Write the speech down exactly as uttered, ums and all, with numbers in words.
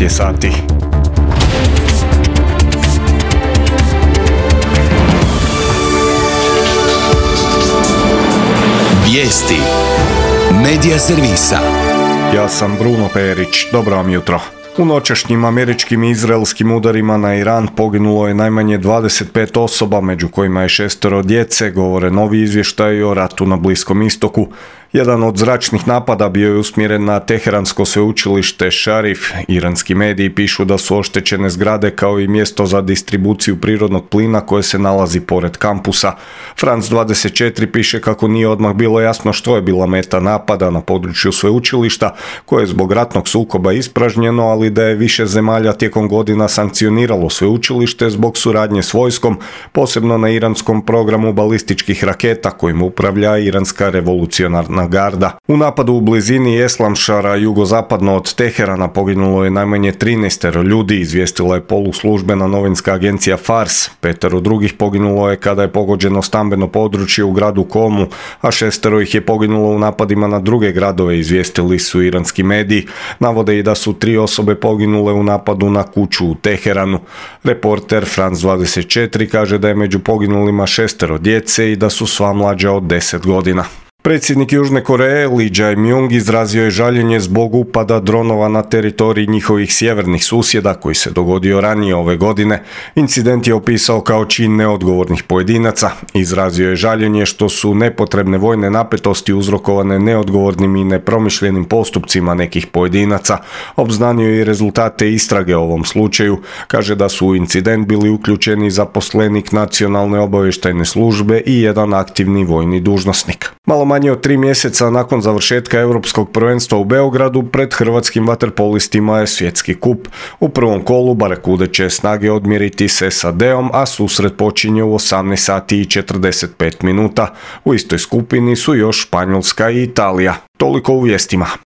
devet je sati. Vijesti Medija servisa. Ja sam Bruno Perić, dobro vam jutro. U noćašnjim američkim i izraelskim udarima na Iran poginulo je najmanje dvadeset pet osoba, među kojima je šestero djece, govore novi izvještaji o ratu na Bliskom istoku. Jedan od zračnih napada bio je usmjeren na Teheransko sveučilište Šarif. Iranski mediji pišu da su oštećene zgrade kao i mjesto za distribuciju prirodnog plina koje se nalazi pored kampusa. France dvadeset četiri piše kako nije odmah bilo jasno što je bila meta napada na području sveučilišta, koje je zbog ratnog sukoba ispražnjeno, ali da je više zemalja tijekom godina sankcioniralo sveučilište zbog suradnje s vojskom, posebno na iranskom programu balističkih raketa kojim upravlja iranska revolucionarna garda. U napadu u blizini Eslamšara, jugozapadno od Teherana, poginulo je najmanje trinaest ljudi, izvijestila je poluslužbena novinska agencija Fars. Petero drugih poginulo je kada je pogođeno stambeno područje u gradu Komu, a šestero ih je poginulo u napadima na druge gradove, izvijestili su iranski mediji. Navode i da su tri osobe poginule u napadu na kuću u Teheranu. Reporter France dvadeset četiri kaže da je među poginulima šestero djece i da su sva mlađa od deset godina. Predsjednik Južne Koreje Lee Jae-myung izrazio je žaljenje zbog upada dronova na teritoriji njihovih sjevernih susjeda koji se dogodio ranije ove godine. Incident je opisao kao čin neodgovornih pojedinaca. Izrazio je žaljenje što su nepotrebne vojne napetosti uzrokovane neodgovornim i nepromišljenim postupcima nekih pojedinaca. Obznanio je i rezultate istrage o ovom slučaju. Kaže da su u incident bili uključeni zaposlenik Nacionalne obavještajne službe i jedan aktivni vojni dužnosnik. Malo manje od tri mjeseca nakon završetka Europskog prvenstva u Beogradu, pred hrvatskim vaterpolistima je svjetski kup. U prvom kolu Barakude će snage odmjeriti s S A D-om, a susret počinje u osamnaest sati i četrdeset pet minuta. U istoj skupini su još Španjolska i Italija. Toliko u vijestima.